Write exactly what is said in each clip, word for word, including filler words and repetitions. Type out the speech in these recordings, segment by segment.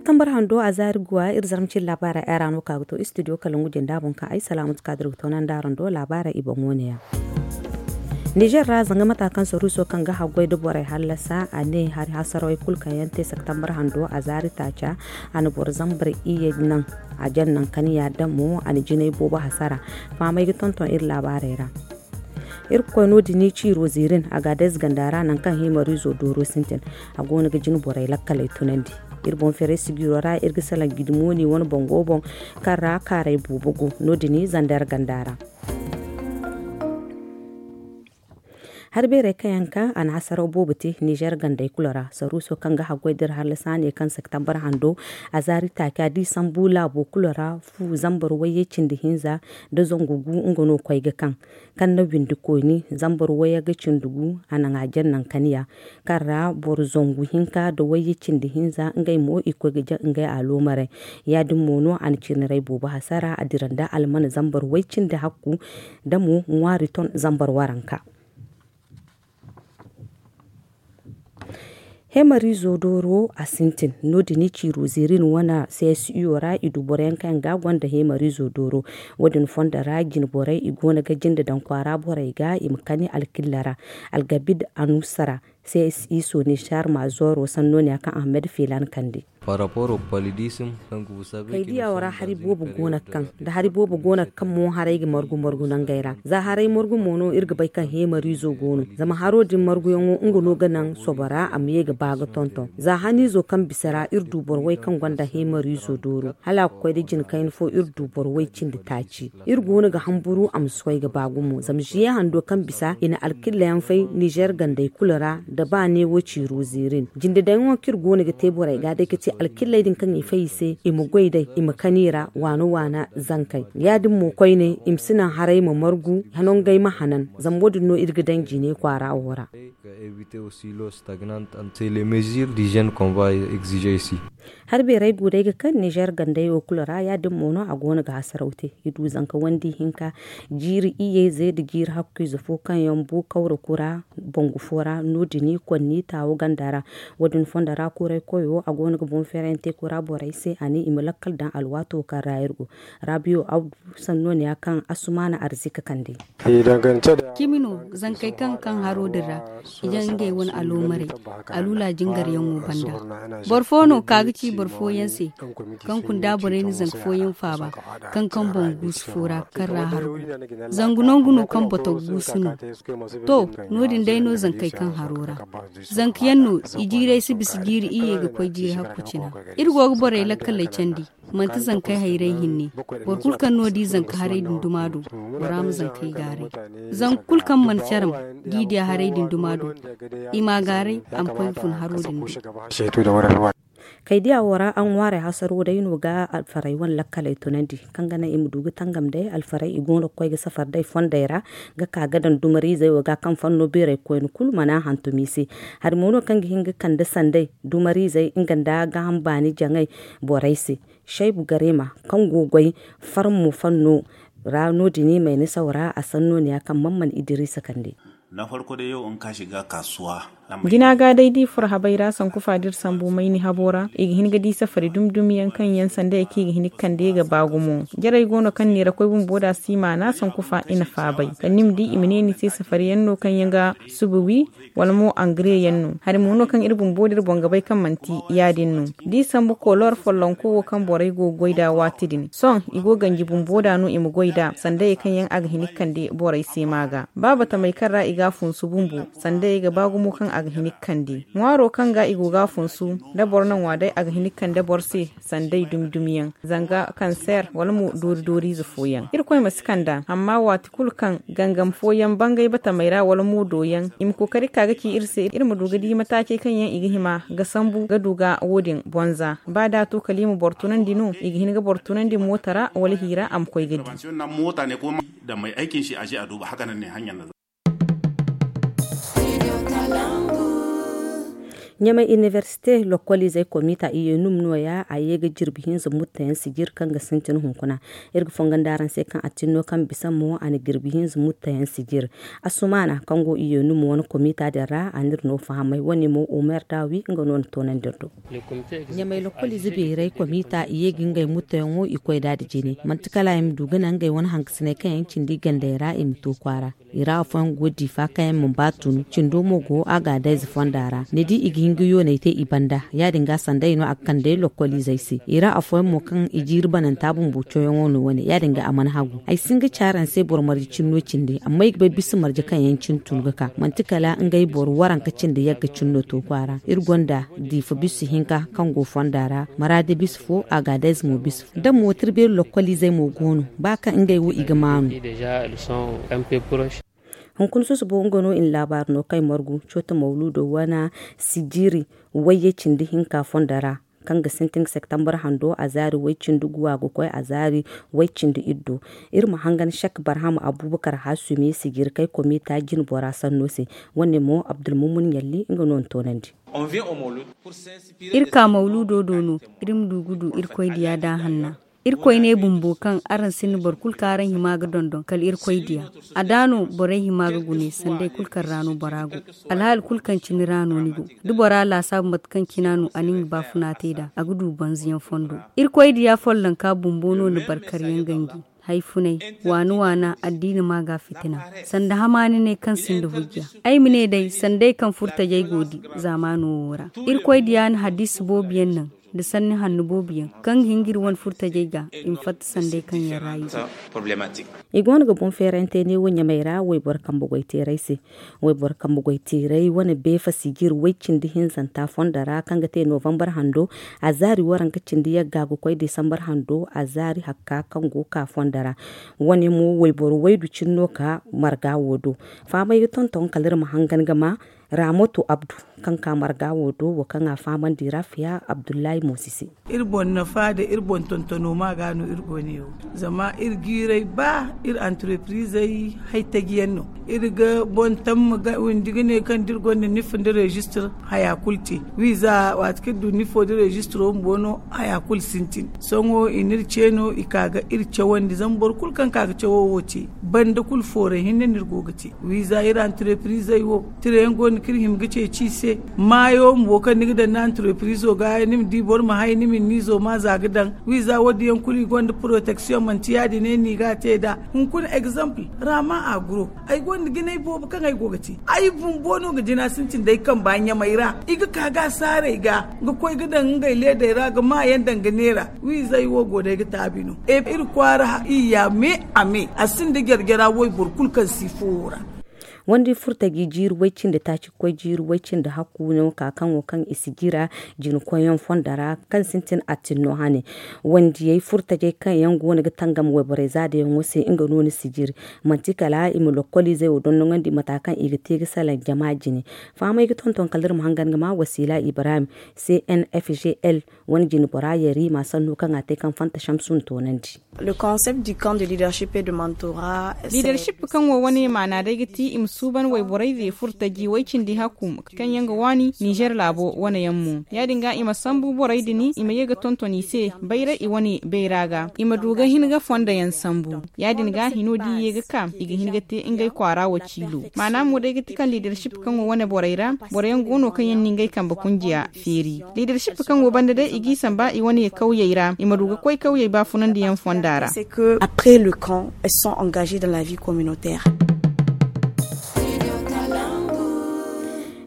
Tambar hando a zaari guwa iri zarma cin laabaara ay ra no ka ga to istidiyo kala ngu jinda boŋ kaŋ ay salaamatu ka dira ga to naŋ da araŋ do laabaara i boŋo ne ya. Nizer ra zanga mata kaŋ saruuso kaŋ ga haggoy da borey hallasa a ne hari hasarawey kulu kaŋ yaŋ te septembar hando a zaari taaca. A na boro zambar iyye naŋ a jaŋ naŋ kaniya damo a na jinay boobo hasara. Fahamay ga tonton iri laabaarey ra. Irkoy no-din i ciiro ziirin a ga adez ganda ra nangu kaŋ himariizo dooro sintin. A go no ga jine borey lakkaley tunandi. Iri boŋ feeray sigiiro ra iri ga salaŋ gidimooni wane bango boŋ kaŋ ra kaaray boobo go no-din i zandar ganda ra. Hari beerey kaŋ yaŋ ka a na hasaraw boobo te nizer gandey kulu ra saruuso kaŋ ga haggoy da iri hallasa ne kaŋ septembar hando a zaari taaca da i sambu laabo kulu ra fu zambar wayye cindi hinza da zangu gu nga no koy ga kaŋ kaŋ na windi koyni zambar wayye ga cindi gu a naŋ a jaŋ naŋ kaniya kaŋ ra boro zangu hinka da wayye cindi hinza ngey mo i koy ga jaŋ ngey aloomarey. Ya-din mo no a na cinarey boobo hasara a dira nda alman zambar way cindi hakku da mo ŋwaari ton zambar waranka. Hemariizo dooro a sintin no-din i ciiro ziirin wane c s u ra i du boro yaŋ kaŋ yaŋ ga gonda hemariizo dooro. Wo-din fondo ra jine borey i go no ga jinde daŋ kwaara borey ga i ma kani alkilla ra algabid anusara c s i sonishar mazoro sanno ne ya kaŋ ahmed filan kande. Par rapport au paludisme, donc vous savez que kay diya wara hari boobo go no ga kaŋ da hari boobo go no ga kaŋ mo haray ga margu margu nangey ra za haray margu mo no iri ga bay kaŋ hemariizo go no zama haro din marguyaŋo nga no ga naŋ sobo ra a ma ye ga ba ga tonton za haniizo kaŋ bisa ra iri du boro way kaŋ gonda hemariizo dooro hala a ga koy da jine kayna fo iri du boro way cindi taaci. Iri go no ga hamburu a ma si koy ga ba gumo zama ziye hando kaŋ bisa i na alkilla yaŋ fay nizer gandey kulu ra da ba ne wo ciiro ziirin jinde daŋ yaŋo kaŋ iri go no ga te borey ga day ga te alkilley din kaŋ i fay i se i ma goy day i ma kani ra waana waana zankey. Ya-din mo koyne i ma si naŋ haray ma margu hanongey ma hanan zama wo-din no iri ga daŋ jine kwaara wo ra. Hari beerey go day ga kaŋ nizer gandey wo kulu ra ya-din mo no a go no ga hasaraw te i du zanka wandi hinka jiiri iyye ize nda jiiri hakku ize fo kaŋ yaŋ bu kawra kura bangu fo ra no-din i konni taawo ganda ra. Wo-din fondo ra kuray koyo a go no ga boŋ feerante kura borey se a ne i ma lakkal daŋ alwaato kaŋ ra iri go. Rabiyo abdu sanno ne ya kaŋ asumana arzika kande. Cimi no zankey kaŋ kaŋ haro din ra i jaŋ ngey wane aloomarey aluula jingaryaŋo banda. Boro fo no ka ga ci boro fooyaŋ se kaŋ kunda borey na zanka fooyaŋ faaba kaŋ kaŋ boŋ guusu fo ra kaŋ ra haro. Zangu nangu no kaŋ boto guusu no. To, no-din day no zankey kaŋ haro ra zanka yaŋ no i jiirey si bisa jiiri iyye ga koy jiiri hakku cina. Iri go ga borey lakkaley candi manti zankey hayray hinne. Boro kulu kaŋ no di zanka haray din duma do bora ma zankey gaaray. Zangu kulu kaŋ mana caram da i diya haray din duma do i ma gaaray a ma koy ga fun haro din do. Kay diya wo ra a ŋwaaray hasaro day no ga alfaray wane lakkaley tunandi kaŋ ga naŋ i ma du ga tangam day alfaray i go no ga koy ga safar day fondey ra ga ka ga daŋ dumariizey wo ga kaŋ fanno beerey koyne kulu mana hantum i se. Hari mo no kaŋ ga hin ga kande sanday dumariizey nga nda gaaham baani jaŋay borey se. Shaybu garema kaŋ go goy farmo fanno ra no-din i mayna saw ra a sanno ne ya kaŋ man man idirisa kande. Jina ga day da i furo habey ra sanku fa da iri sambu mayni habo ra i ga hin ga di safari dumi dumi yaŋ kaŋ yaŋ sanda ya kaŋ i ga hin ga kande ga ba gumo jarey go no kaŋ neera koy bumbo da si maana sanku fa i na faabay kala ni ma di i ma ne ni se safari yaŋ no kaŋ yaŋ ga suba wi wala mo angare yaŋ no hari mo no kaŋ iri bumbo da iri boŋ ga bay kaŋ manti ya- din no. Da i sambu kolor follonko wo kaŋ borey go ga goy nd'a waati din sohõ i go ganji bumbo nd'a no i ma goy nd'a sandayey kaŋ yaŋ a ga hin ga kande borey se ma ga ba batamey kaŋ ra i ga a funsu bumbo sandayey ga ba gumo kaŋ a ga hin ga kande ŋwaaro kaŋ ga i go ga a funsu da boro na ŋwa day a ga hin ga kande boro se sanday dumi dumi yaŋ zanga kanser wala mo doori dooriize fooyaŋ irkoy ma si kand'a amma waati kulu kaŋ gangam fooyaŋ bangay batamey ra wala mo dooyaŋ i ma kookari ka ga ci iri se iri ma du ga di mataacey kaŋ yaŋ i ga hima ga sambu ga du ga wo- din bonza ba da a to kala i ma boro tunandi no i ga hin ga boro tunandi moota ra wala hi ra a ma koy ga di. Ɲamay inibersite lokkoliizey komita iyenum nooya a ye ga jirbi hinza mutta yaŋ sijir kaŋ ga sintin hunkuna. Iri ga fongondi araŋ se kaŋ a tinno kaŋ bisa mo a na jirbi hinza mutta yaŋ sijir. Asumaana kaŋ go iyenum wane komita din ra a n'iri no fahamay wane mo omer dawi nga no na toonandi iri do. Ɲamay lokkoliize beeray komita i ye ga ngey muttoyaŋo i koy nd'a da jine manti kala i ma du ga naŋ ngey wane hankasiney kaŋ yaŋ cindi gandey ra i ma to kwaara. I ra afooyaŋ go diifa kaŋ yaŋ mana ba tun cindo mo go a ga adayze fonda ra ni di i ga hin ga yooney te i banda ya- din ga sanda i no a ga kande lokkoliizey se i ra afooyaŋ mo kaŋ i jiiri bananta bumbo cawyaŋo no wane ya- din ga a mana hagu ay si hin ga ci araŋ se boro marje cinno cindi amma i ga bay bisa marje kaŋ yaŋ cin tun ga ka manti kala ngey boro waranka cindi yagga cinno to kwaara iri gonda diifa bisa hinka kaŋ go fonda ra maraadi bisa fo a ga adayze mo bisa fo da mo tirbeeri lokkoliizey mo go no ba kaŋ ngey wo i ga maanu. Hunkuna susubo nga no i na laabaari no kaŋ ay margu coota mawluudo wane sijiri wayye cindi hinka fondo ra kaŋ ga sintin septembre hando a zaari way cindi guwa ga koy a zaari way cindi iddo. Iri ma hangan sek barham abubakar hasumi sijiri kay komita jine bora sanno se. Wane mo abdulmumun ɲalli nga no ni toonandi. Iri ka mawluudo do no iri ma du ga du irkoy diya da hanna. Irkoy ne bumbo kaŋ araŋ sinda boro kulu kaŋ araŋ hima ga dondon kala irkoy diya. A da no borey hima ga gune sanday kulu kaŋ ra no bora go. Alhaali kulu kaŋ cine ra no ni go da bora laasaabu mate kaŋ cina no a na nga baafuna te nd'a a ga du banza yaŋ fondo. Irkoy diya follonka bumbo no na barkar yaŋ ganji. Hay funay waana waana addiina ma ga fitina sanda hamaani ne kaŋ sinda hujja. Ay ma ne day sanday kaŋ furtajey go di zaamaano wo ra. Irkoy diya na hadiisi boobo yaŋ naŋ nda sanni hanno boobo yaŋ kaŋ ga hin ga iri wane furtajey ga i ma fatta sanday kaŋ yaŋ ra i go. I go no ga boŋ feerante ne wo ɲamay ra wayboro kambe goy teeray se. Wayboro kambe goy teeray wane beefa sijir way cindi hinzanta fondo ra kaŋ ga te novambar hando a zaari waranka cindi yagga ga koy disambar hando a zaari hakka kaŋ go ga ka fondo ra. Wane mo wayboro waydu cine no ka marga wo do. Faamay ga tonton kala iri ma hangan ga ma ramoto abdu kaŋ ka marga wo do wo kaŋ a fahamandi rafiya abdullahi mo si se. Iri boŋ nafa da iri boŋ tontono ma ga no iri go ne wo. Zama iri jiiray ba iri anterepirizey haytaji yaŋ no. Iri ga boŋ tamma windi ga ne kaŋ da iri gonda nif nda rezistir haya kulu te. Wiiza waati kaŋ iri du nifo da rezistiro bumbo no haya kulu sintin. Sohõ i na iri ce no i ka ga iri cawandi zama boro kulu kaŋ ka ga cawo wo ce banda kulu fooray hinne no iri go ga te. Wiiza iri anterepirizey wo tira yaŋ go no kaŋ iri hima ga ceeci i se. Maayo bumbo kaŋ ni ga daŋ ni anterepirizo ga ni ma di boro ma hay ni ma ni izo ma za ga daŋ. Wiiza wo- din yaŋ kulu i gonda poroteksiyoŋ manti ya- din no i ga a te nd'a. Hunkuna egzample ra ma a guro. Ay gonda jinay boobo kaŋ ay go ga te ay bumbo no ga jina sintin da ay kamba ɲamay ra. I ga ka ga saaray ga ga koy ga daŋ ngey leedey ra ga maayaŋ daŋ ga neera. Wiizey wo go day ga taabi no. Iri kwaara i ya me a me a sinda jare-jara wayboro kulu kaŋ si fuwo ra. Wandi furtaji jiiri way cindi taaci ga koy jiiri way cindi hakku no ka kaŋo kaŋ i si jira jina koyyaŋ fondo ra kaŋ sintin a tinno hane. Wandiyey furtajey kaŋ yaŋ go no ga tangam wayborey zaadayaŋo se nga no ni si jiri. Manti kala i ma lokkoliizey wo dondonandi mata kaŋ i ga te ga salaŋ jama jine. Fahamey ga tonton kala iri ma hangan ga ma wasiila ibrahim, cnfgl wane jine bora yari ma sanno kaŋ a te kaŋ fanta shamsu na toonandi. Liidarship kaŋ wo wane maana day ga ti i ma suuban wayborey ze furtaji way cindi hakku kaŋ yaŋ ga waani nizer laabo wane yaŋ mo. Ya- din ga i ma sambu borey din i ma ye ga tonton i se bayray i wane bayra ga i ma du ga hin ga fondo yaŋ sambu. Ya- din ga hino da i ye ga ka i ga hin ga te ngey kwaara wo ciilo. Maana mo day ga ti kaŋ liidarship kaŋ wo wane borey ra boro yaŋ go no kaŋ yaŋ na ngey kambe kunjiya feeri. Liidarship kaŋ wo banda day i g'i samba i wane kawyey ra i ma du ga koy kawyey baafunandiyaŋ fonda ra. Après le camp elles sont engagées dans la vie communautaire.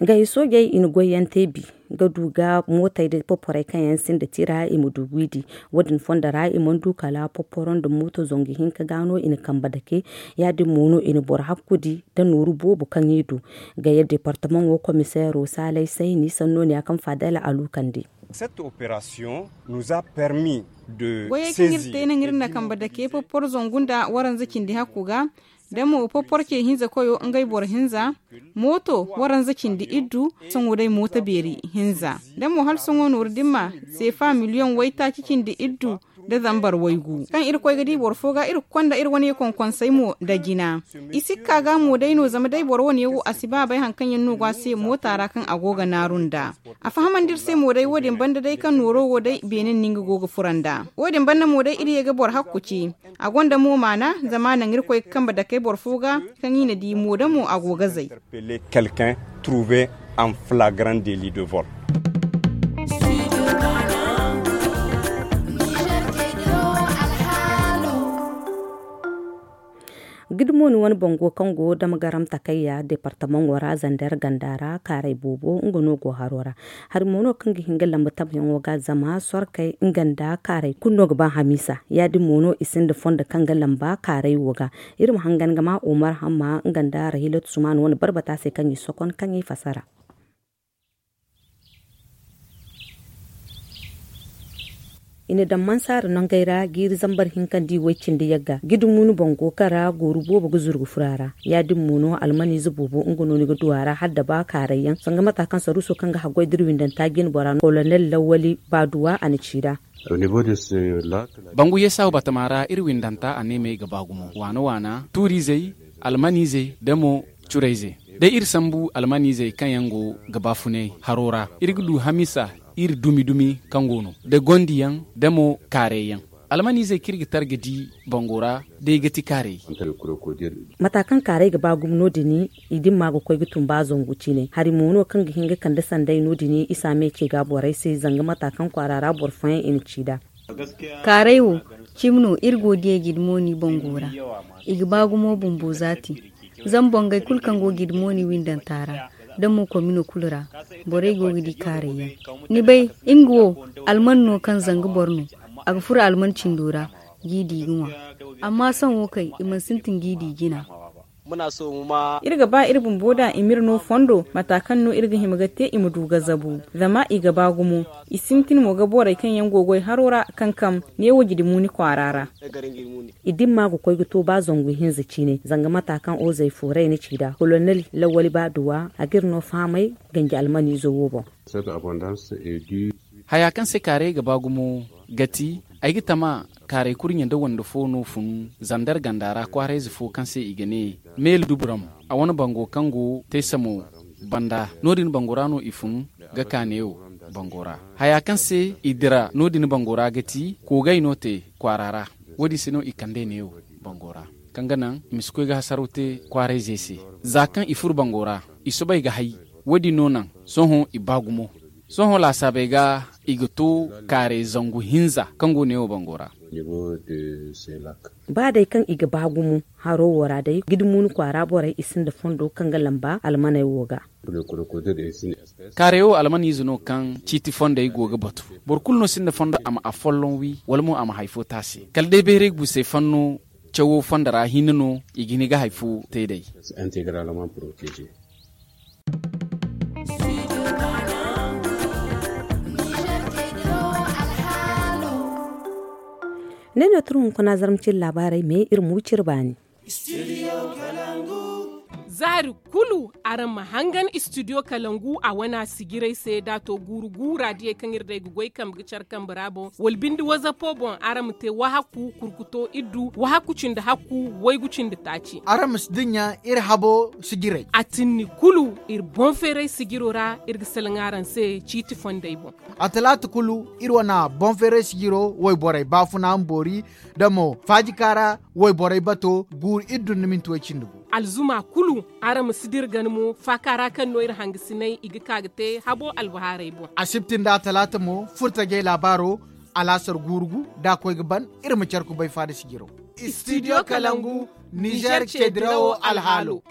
Ngey soojey i na goyyaŋ te bi ga du ga mootey da poporey kaŋ yaŋ sinda tira i ma du ga i di. Wo- din fondo ra i mana du kala poporo nda mooto zangu hinka ga no i na kambe dake. Ya- din mo no i na boro hakku di da nooru boobo kaŋ i du. Gaya departamaŋo komiseero saalay sayni sanno ne ya kaŋ faadala a lukandi. Goyey kaŋ iri te naŋ iri na kambe dake poporo zangu nda waranza cindi hakku ga da mo poporce hinza koyo ngey boro hinza. Mooto waranza cindi iddu. Sohõ day mooto beeri hinza da mo hala sohõ nooru dimma seefa miliyoŋ waytaaci cindi iddu. da zambar waygu kaŋ iri koy ga di boro fo ga iri ga konda iri wane konkonsey mo nda jina. I si ga ka ga mo day no zama day boro wane wo a si ba bay hari kaŋ yaŋ no go a se moota ra kaŋ a go ga naaru nda a fahamandi iri se mo day wo- din banda day kaŋ nooro wo day beene nda nga go ga fura nda wo- din banda mo day iri ye ga boro hakku ce. A gonda mo maana zama a naŋ iri koy ga kambe dakey boro fo ga kaŋ i na di mo da mo a go ga zay. Quelqu'un trouvé en flagrant délit de vol. Gidimoni wane bango kaŋ go dama garam takayya departamaŋo ra zander ganda ra kaaray boobo nga no go haro ra. Hari mo no kaŋ ga hin ga lamba tamyaŋo ga zama sorkey nga nda kaaray kulu no ga ba hamiisa. Ya- din mo no i sinda fondo kaŋ ga lamba kaaray wo ga. Iri ma hangan ga ma umar hamma nga nda rahilatu sumaana wane barbata se kaŋ i sokon kaŋ i fasara. I na daŋ mansaara nangey ra jiiri zambar hinka nda i way cindi yagga gidimuni bango kaŋ ra gooru boobo ga zuru ga furo a ra. Ya- din mo no almaniize boobo nga no ni ga du a ra hala da ba kaaray yaŋ sanga mata kaŋ saruuso kaŋ ga haggoy da iri windanta jine bora no kolonel lawwali baaduwa a na ci nd'a. Bangu yeesahu batama ra iri windanta a ne me ga ba gumo waana waana tuuriizey, almaniizey da mo curayzey. Day iri sambu almaniizey kaŋ yaŋ go ga baafunay haro ra iri ga du hamiisa iri dumi dumi kaŋ go no da gondi yaŋ da mo kaaray yaŋ. Almaniizey kaŋ iri ga tar ga di bango ra day ga ti kaaray. Mata kaŋ kaaray ga ba gumo no- din i dimma ga koy ga tun ba zangu cine hari mo no kaŋ ga hin ga kande sanday no- din i si a me ce ga borey se zanga mata kaŋ kwaara ra boro fooyaŋ i na ci nd'a. Kaaray wo cimi no iri go diyey ga i dumo ni bango ra. I ga ba gumo bumbo zaati. Zama bongey kulu kaŋ go ga i dumo ni windanta ra da mo komino kulu ra borey go ga di kaaray yaŋ. Ni bay nga wo alman no kaŋ zanga boro no. A ga furo alman cindo ra ga i di ga ŋwa. Amma sohõ wo kay i mana sintin ga i di jina. Iri ga ba iri bumbo da i m'iri no fondo mata kaŋ no iri ga hima ga te i ma du ga zabu. Zama i ga ba gumo i sintin mo ga borey kaŋ yaŋ go goy haro ra kankam neewo jidi muuni kwaara ra. I dimma ga koy ga to ba zangu hinza ciine zanga mata kaŋ ozey fooray na ci nd'a kolonel lawwali ba duwa a ga iri no fahamay ganji almaniizo wo boŋ. Haya kaŋ se kaaray ga ba gumo ga ti ay ga tama kaaray kurɲe nda wande fo no fun zandar ganda ra kwaarayze fo kaŋ se i ga ne meele duburam. A wane bango kaŋ go teesamo banda no- din bango ra no i fun ga ka neewo bango ra. Haya kaŋ se i dira no- din bango ra ga ti koogay no te kwaara ra. Wo- din se no i kande neewo bango ra kaŋ ga naŋ i ma si koy ga hasaraw te kwaarayzey se. Za kaŋ i furo bango ra i soobay ga hay. Wo- din no naŋ sohõ i ba gumo. Sohõ laasaabey ga i ga to kaaray zangu hinza kaŋ go neewo bango ra. Ba day kaŋ i ga ba gumo haro wo ra day gidimuni kwaara borey i sinda fondo kaŋ ga lamba almaney wo ga. Kaaray wo almaniize no kaŋ ciiti fondey go ga batu. Boro kulu no sinda fondo a ma afolloŋ wi wala mo a ma hari fo te a se kala day bayray guusey fanno. Cawo fondo ra hinne no i ga hin ga hari fo te day. Ne no turu hunkuna zarma cire laabaarey me iri ma wi cire baani. Zaari kulu araŋ ma hangan istidiyo kalangu a wana sijiray se da a to guuru guura diyey kaŋ iri day ga goy kambe ga care kambe ra boŋ wala binde wazapo boŋ araŋ ma te wahakku kurkuto iddu wahakku cindi hakku waygu cindi taaci. Araŋ ma si dinya iri habo sijiray. A tinni kulu iri boŋ feeray sijiro ra iri ga salaŋ araŋ se ciiti fondey boŋ. A talaata kulu iri wana boŋ feeray sijiro wayborey baafuna ma boori da mo faajika ra wayborey bato guuru iri dunduminti way cindi gu. Alzuma kulu araŋ ma si dira gana mo faaka ra kaŋ no iri hangasinay i ga ka ga te habo albahaarey boŋ. Asibti nda atalaata mo furtajey laabaaro alaasar guuru gu da a koy ga ban iri ma care kubay faada sijiro. Istidiyo kalangu nizer ceedirawo alhaalo.